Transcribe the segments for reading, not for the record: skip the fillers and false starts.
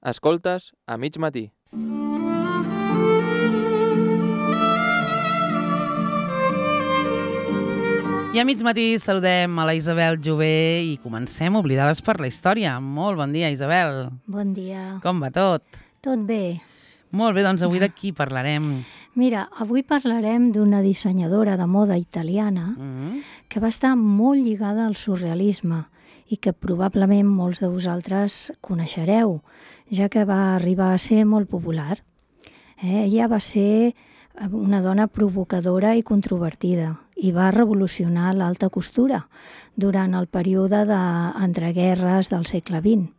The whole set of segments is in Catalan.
Escoltes a mig matí. I a mig matí saludem a la Isabel Jové i comencem Oblidades per la història. Molt bon dia, Isabel. Bon dia. Com va tot? Tot bé. Molt bé, doncs avui de qui parlarem? Mira, avui parlarem d'una dissenyadora de moda italiana que va estar molt lligada al surrealisme i que probablement molts de vosaltres coneixereu, ja que va arribar a ser molt popular. Ella va ser una dona provocadora i controvertida i va revolucionar l'alta costura durant el període d'entreguerres del segle XX.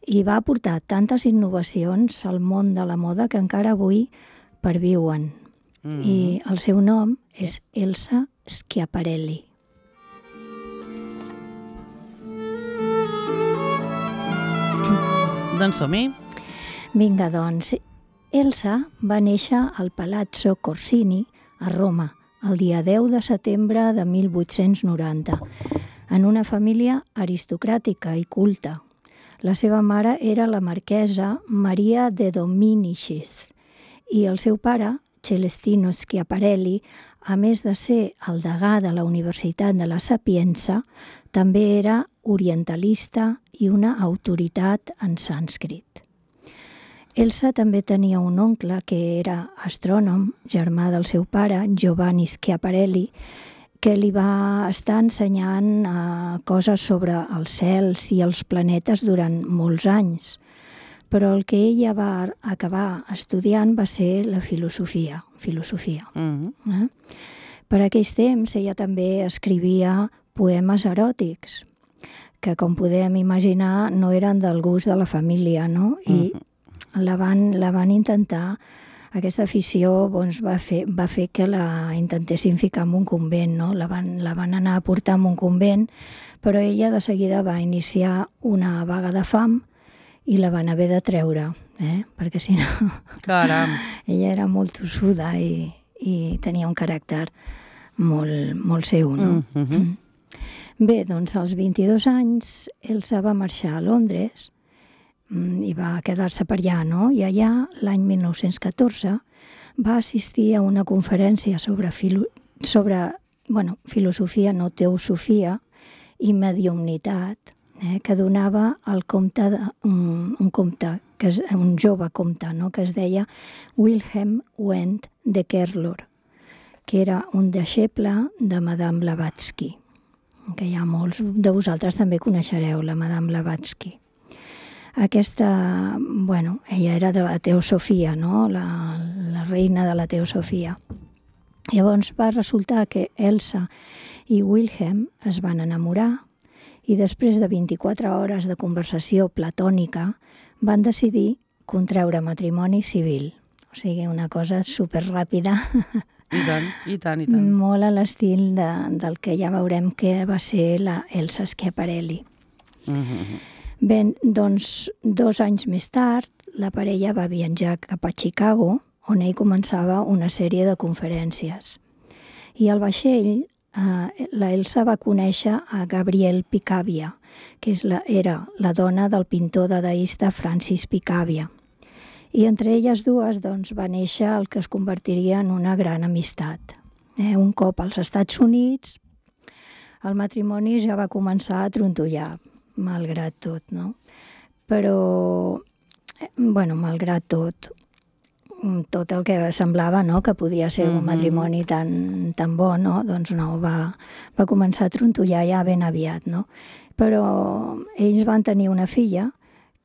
I va aportar tantes innovacions al món de la moda que encara avui perviuen. I el seu nom és Elsa Schiaparelli. Doncs som-hi. Vinga, doncs. Elsa va néixer al Palazzo Corsini, a Roma, el dia 10 de setembre de 1890, en una família aristocràtica i culta. La seva mare era la marquesa Maria de Dominicis i el seu pare, Celestino Schiaparelli, a més de ser el degà de la Universitat de la Sapienza, també era orientalista i una autoritat en sànscrit. Elsa també tenia un oncle que era astrònom, germà del seu pare, Giovanni Schiaparelli, que li va estar ensenyant coses sobre els cels i els planetes durant molts anys. Però el que ella va acabar estudiant va ser la filosofia. Per aquells temps ella també escrivia poemes eròtics, que com podem imaginar no eren del gust de la família, no? I la van intentar, aquesta afició va fer que la intentessin ficar en un convent, no? La van anar a portar en un convent, però ella de seguida va iniciar una vaga de fam i la van haver de treure, perquè si no... Caram! Ella era molt tossuda i tenia un caràcter molt seu, no? Bé, doncs als 22 anys Elsa va marxar a Londres i va quedar-se per allà, no? I allà, l'any 1914, va assistir a una conferència sobre filosofia, no teosofia, i mediumnitat, que donava un jove comte, no? Que es deia Wilhelm Wendt de Kerlor, que era un deixeble de Madame Blavatsky, que ja molts de vosaltres també coneixereu, la Madame Blavatsky. Aquesta, ella era de la teosofia, no? La reina de la teosofia. Llavors va resultar que Elsa i Wilhelm es van enamorar i després de 24 hores de conversació platònica van decidir contraure matrimoni civil. O sigui, una cosa superràpida. I tant. Molt a l'estil del que ja veurem que va ser la Elsa Schiaparelli. Bé, doncs 2 anys més tard, la parella va viatjar cap a Chicago, on ell començava una sèrie de conferències. I al vaixell, la Elsa va conèixer a Gabriel Picabia, que era la dona del pintor dadaista Francis Picabia. I entre elles dues va néixer el que es convertiria en una gran amistat. Un cop als Estats Units, el matrimoni ja va començar a trontollar, malgrat tot, no? Però, malgrat tot el que semblava, no?, que podia ser un matrimoni tan bo, no? Doncs no, va començar a trontollar ja ben aviat, no? Però ells van tenir una filla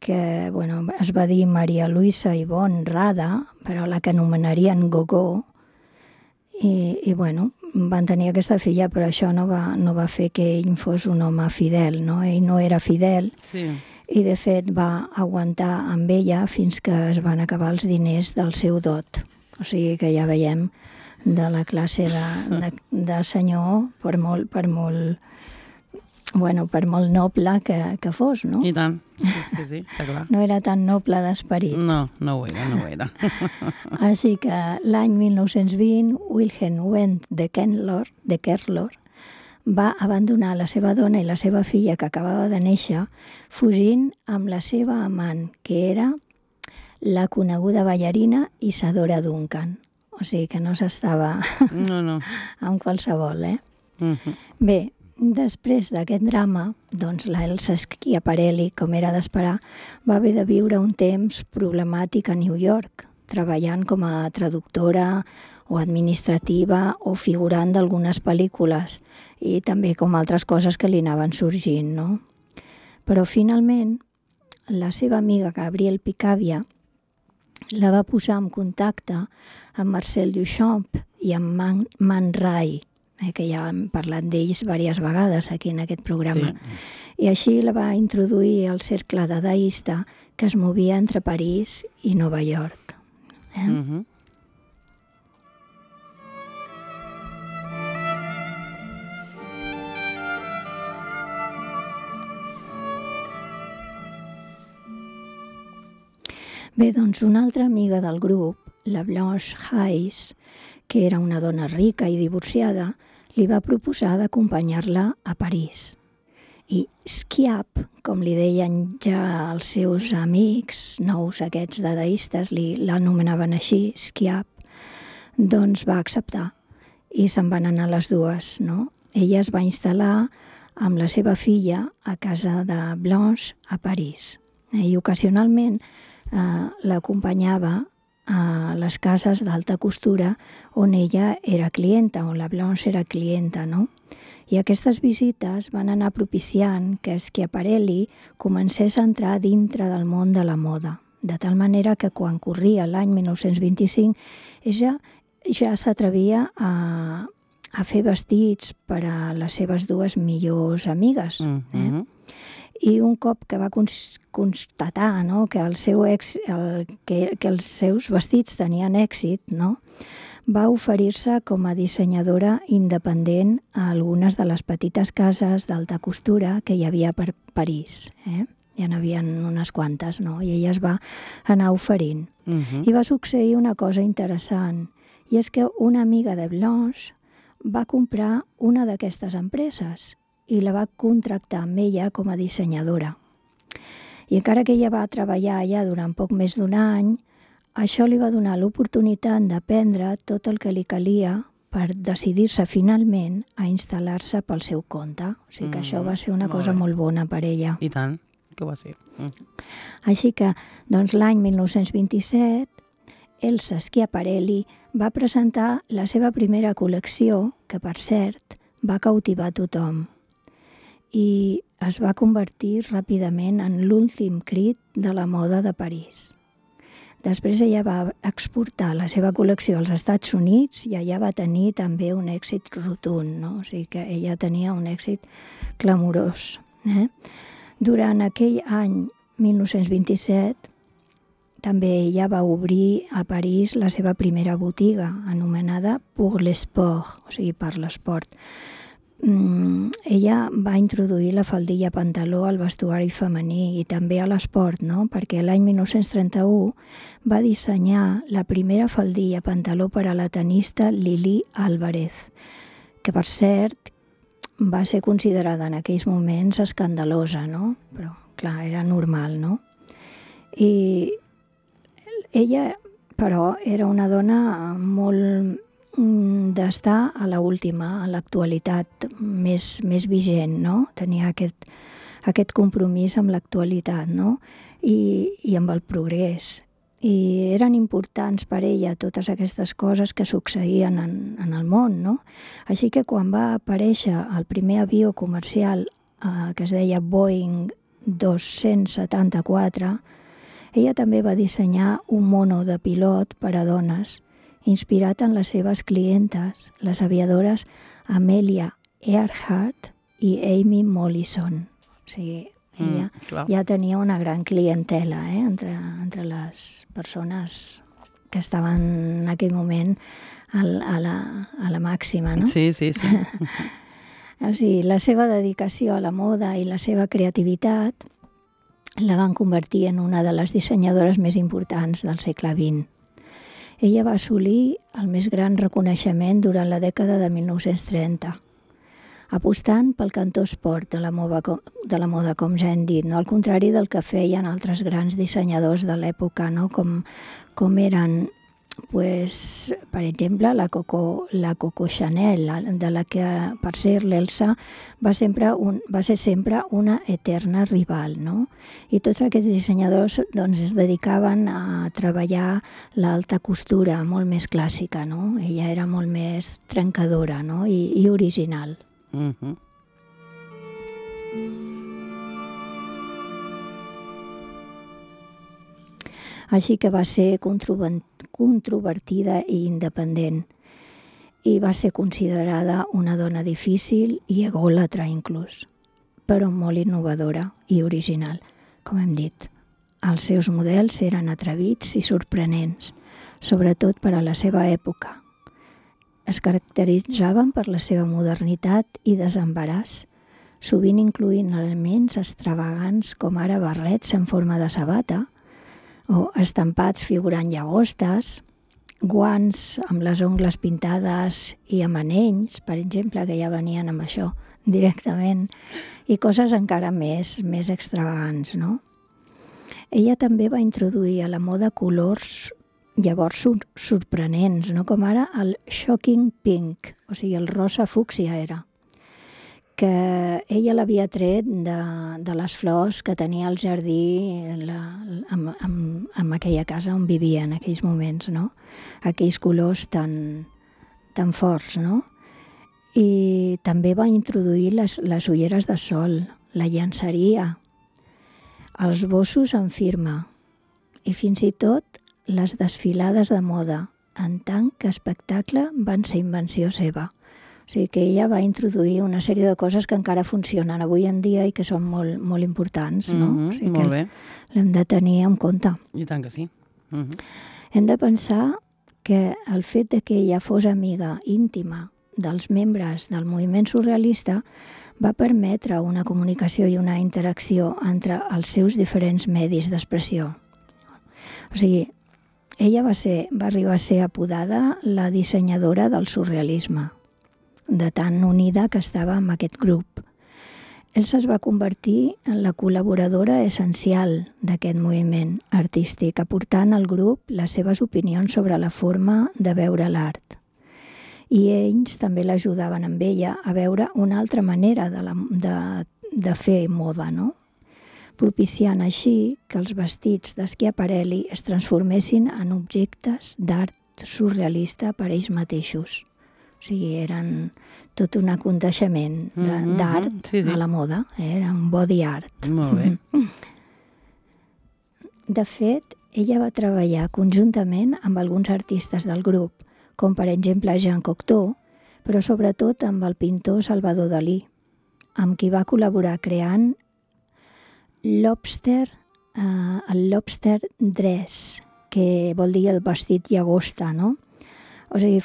que, es va dir Maria Luisa Ivonne Rada, però la que anomenarien Gogó, i van tenir aquesta filla, però això no va fer que ell fos un home fidel, no? Ell no era fidel, sí. I de fet va aguantar amb ella fins que es van acabar els diners del seu dot. O sigui que ja veiem de la classe de senyor, per molt noble que fos, no? I tant, sí, està clar. No era tan noble d'esperit. No ho era. Així que l'any 1920, Wilhelm Wendt de Kerlor va abandonar la seva dona i la seva filla que acabava de néixer, fugint amb la seva amant, que era la coneguda ballarina Isadora Duncan. O sigui que no s'estava No. amb qualsevol, eh? Mhm. Bé, després d'aquest drama, doncs l'Elsa Schiaparelli, com era d'esperar, va haver de viure un temps problemàtic a New York, treballant com a traductora o administrativa o figurant d'algunes pel·lícules i també com altres coses que li anaven sorgint, no? Però finalment, la seva amiga Gabrielle Picabia la va posar en contacte amb Marcel Duchamp i amb Man Ray, que ja hem parlat d'ells diverses vegades aquí en aquest programa. Sí. I així la va introduir al cercle dadaista que es movia entre París i Nova York. Mhm. Bé, doncs una altra amiga del grup, la Blanche Hayes, que era una dona rica i divorciada, li va proposar d'acompanyar-la a París. I Schiap, com li deien ja els seus amics nous aquests dadaistes, l'anomenaven així, Schiap, doncs va acceptar i se'n van anar les dues, no? Ella es va instal·lar amb la seva filla a casa de Blanche a París. I ocasionalment l'acompanyava a les cases d'alta costura on ella era clienta, on la Blanche era clienta, no? I aquestes visites van anar propiciant que Schiaparelli comencés a entrar dintre del món de la moda, de tal manera que quan corria l'any 1925 ella ja s'atrevia a fer vestits per a les seves dues millors amigues. I un cop que va constatar, no, que els seus vestits tenien èxit, no, va oferir-se com a dissenyadora independent a algunes de les petites cases d'alta costura que hi havia per París. Ja n'hi havia unes quantes, no? I ella es va anar oferint. I va succeir una cosa interessant, i és que una amiga de Blanche va comprar una d'aquestes empreses i la va contractar amb ella com a dissenyadora. I encara que ella va treballar allà durant poc més d'un any, això li va donar l'oportunitat d'aprendre tot el que li calia per decidir-se finalment a instal·lar-se pel seu compte. O sigui que això va ser una cosa molt bona per ella. I tant, que va ser. Així que, doncs, l'any 1927, Elsa Schiaparelli va presentar la seva primera col·lecció, que, per cert, va cautivar tothom. I es va convertir ràpidament en l'últim crit de la moda de París. Després ella va exportar la seva col·lecció als Estats Units i allà va tenir també un èxit rotund, no? O sigui que ella tenia un èxit clamorós. Durant aquell any 1927 també ella va obrir a París la seva primera botiga, anomenada Pour l'Esport, o sigui, per l'esport. Ella va introduir la faldilla pantaló al vestuari femení i també a l'esport, no? Perquè l'any 1931 va dissenyar la primera faldilla pantaló per a la tenista Lili Álvarez, que per cert va ser considerada en aquells moments escandalosa, no? Però clar, era normal, no? I ella, però, era una dona molt d'estar a l'última, a l'actualitat més vigent, no? Tenia aquest compromís amb l'actualitat, no? I amb el progrés. I eren importants per ella totes aquestes coses que succeïen en el món, no? Així que quan va aparèixer el primer avió comercial que es deia Boeing 274, ella també va dissenyar un mono de pilot per a dones, inspirat en les seves clientes, les aviadores Amelia Earhart i Amy Mollison. O sigui, ella ja tenia una gran clientela entre les persones que estaven en aquell moment a la màxima, no? Sí. O sigui, la seva dedicació a la moda i la seva creativitat la van convertir en una de les dissenyadores més importants del segle XX. Ella va assolir el més gran reconeixement durant la dècada de 1930. apostant pel cantó esport de la moda, com ja hem dit, no? Al contrari del que feien altres grans dissenyadors de l'època, no? Com eren, pues, per exemple, la Coco Chanel, de la que, per ser l'Elsa, va ser sempre una eterna rival, no? I tots aquests dissenyadors doncs, es dedicaven a treballar l'alta costura, molt més clàssica, no? Ella era molt més trencadora, no? I original. Així que va ser controvertida i independent i va ser considerada una dona difícil i egòlatra inclús, però molt innovadora i original, com hem dit. Els seus models eren atrevits i sorprenents, sobretot per a la seva època. Es caracteritzaven per la seva modernitat i desembaràs, sovint incloent elements extravagants com ara barrets en forma de sabata, o estampats figurant llagostes, guants amb les ungles pintades i amb anells, per exemple, que ja venien amb això directament, i coses encara més extravagants, no? Ella també va introduir a la moda colors llavors sorprenents, no? Com ara el shocking pink, o sigui, el rosa fúcsia era, que ella l'havia tret de les flors que tenia al jardí en aquella casa on vivia en aquells moments, no? Aquells colors tan forts, no? I també va introduir les ulleres de sol, la llenceria, els bossos en firma i fins i tot les desfilades de moda en tant que espectacle van ser invenció seva. O sigui que ella va introduir una sèrie de coses que encara funcionen avui en dia i que són molt, molt importants, no? O sigui molt bé. L'hem de tenir en compte. I tant que sí. Hem de pensar que el fet de que ella fos amiga íntima dels membres del moviment surrealista va permetre una comunicació i una interacció entre els seus diferents medis d'expressió. O sigui, ella va arribar a ser apodada la dissenyadora del surrealisme, de tan unida que estava amb aquest grup. Elsa es va convertir en la col·laboradora essencial d'aquest moviment artístic, aportant al grup les seves opinions sobre la forma de veure l'art. I ells també l'ajudaven amb ella a veure una altra manera de fer moda, no? Propiciant així que els vestits d'Schiaparelli es transformessin en objectes d'art surrealista per ells mateixos. O sigui, eren tot un aconteixement d'art a la moda, era un body art. Molt bé. De fet, ella va treballar conjuntament amb alguns artistes del grup, com per exemple Jean Cocteau, però sobretot amb el pintor Salvador Dalí, amb qui va col·laborar creant el lobster dress, que vol dir el vestit llagosta, no? O sigui,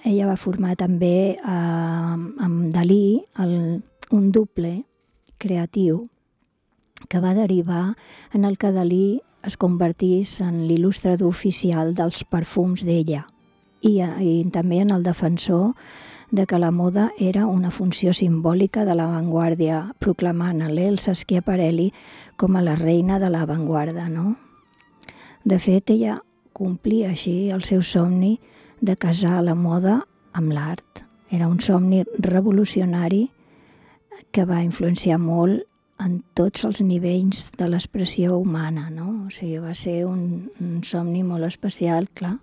ella va formar també amb Dalí un doble creatiu que va derivar en el que Dalí es convertís en l'il·lustrador oficial dels perfums d'ella i també en el defensor de que la moda era una funció simbòlica de l'avantguàrdia, proclamant a l'Elsa Schiaparelli com a la reina de l'avantguarda, no? De fet, ella complia així el seu somni de casar la moda amb l'art. Era un somni revolucionari que va influenciar molt en tots els nivells de l'expressió humana, no? O sigui, va ser un somni molt especial, clar,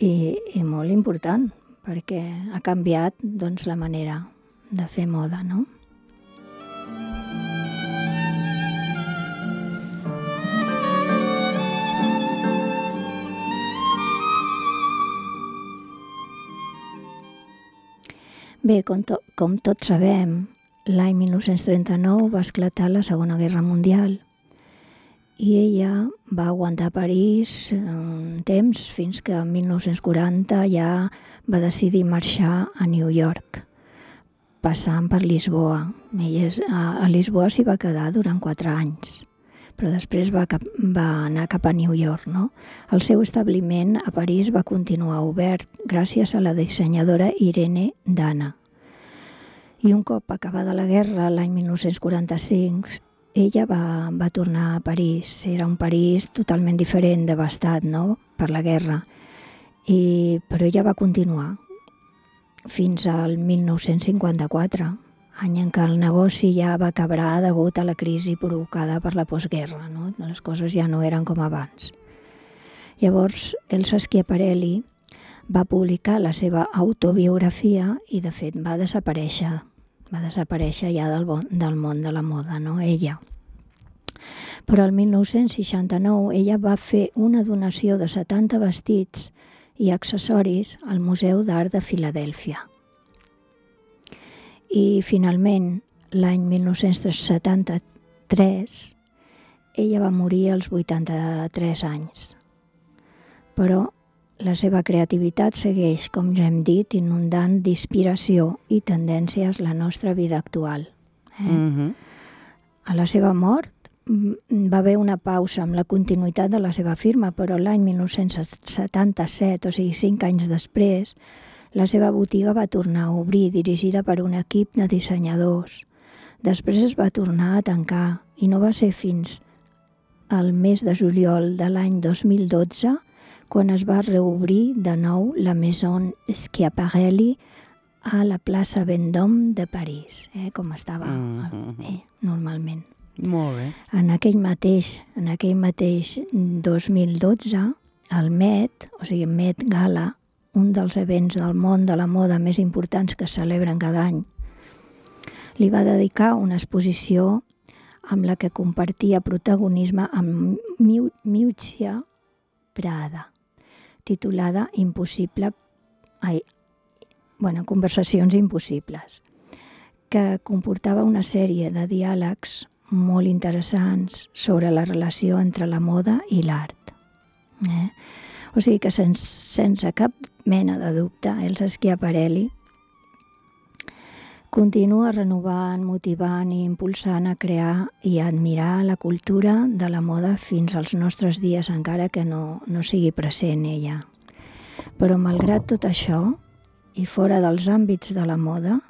i molt important, perquè ha canviat, doncs, la manera de fer moda, no? Bé, com tots sabem, l'any 1939 va esclatar la Segona Guerra Mundial i ella va aguantar a París un temps fins que en 1940 ja va decidir marxar a New York, passant per Lisboa. Ella a Lisboa s'hi va quedar durant 4 anys, però després va anar cap a New York, no? El seu establiment a París va continuar obert gràcies a la dissenyadora Irene Dana. I un cop acabada la guerra, l'any 1945, ella va tornar a París. Era un París totalment diferent, devastat, no?, per la guerra. Però ella va continuar fins al 1954, any en què el negoci ja va quebrar degut a la crisi provocada per la postguerra, no? Les coses ja no eren com abans. Llavors, Elsa Schiaparelli va publicar la seva autobiografia i, de fet, va desaparèixer ja del món de la moda, no? Ella. Però el 1969 ella va fer una donació de 70 vestits i accessoris al Museu d'Art de Filadèlfia. I finalment, l'any 1973, ella va morir als 83 anys. Però la seva creativitat segueix, com ja hem dit, inundant d'inspiració i tendències la nostra vida actual. A la seva mort va haver una pausa amb la continuïtat de la seva firma, però l'any 1977, o sigui 5 anys després, la seva botiga va tornar a obrir, dirigida per un equip de dissenyadors. Després es va tornar a tancar i no va ser fins al mes de juliol de l'any 2012 quan es va reobrir de nou la Maison Schiaparelli a la plaça Vendôme de París, com estava normalment. Molt bé. En aquell mateix 2012, el Met, o sigui Met Gala, un dels events del món de la moda més importants que es celebren cada any, li va dedicar una exposició amb la que compartia protagonisme amb Miuccia Prada, titulada Conversacions impossibles, que comportava una sèrie de diàlegs molt interessants sobre la relació entre la moda i l'art. O sigui que sense cap mena de dubte, Elsa Schiaparelli continua renovant, motivant i impulsant a crear i a admirar la cultura de la moda fins als nostres dies, encara que no sigui present ella. Però malgrat tot això, i fora dels àmbits de la moda,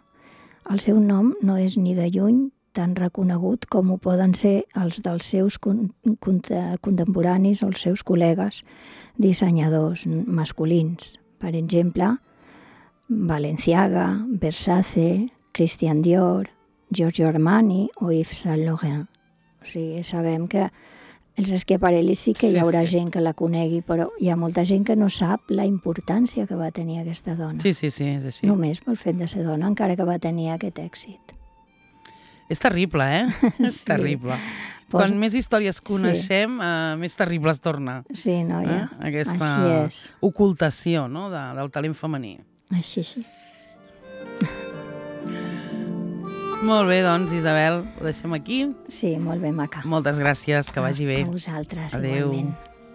el seu nom no és ni de lluny tan reconegut com ho poden ser els dels seus contemporanis o els seus col·legues dissenyadors masculins. Per exemple, Balenciaga, Versace, Christian Dior, Giorgio Armani o Yves Saint Laurent. O sigui, sabem que Elsa Schiaparelli sí que hi haurà gent que la conegui, però hi ha molta gent que no sap la importància que va tenir aquesta dona. Sí, és així. Només pel fet de ser dona, encara que va tenir aquest èxit. És terrible, És terrible. Quan més històries coneixem, més terrible es torna. Sí, noia. Aquesta ocultació, no?, del talent femení. Així. Molt bé, doncs, Isabel, ho deixem aquí. Sí, molt bé, maca. Moltes gràcies, que vagi bé. A vosaltres, Adéu. igualment.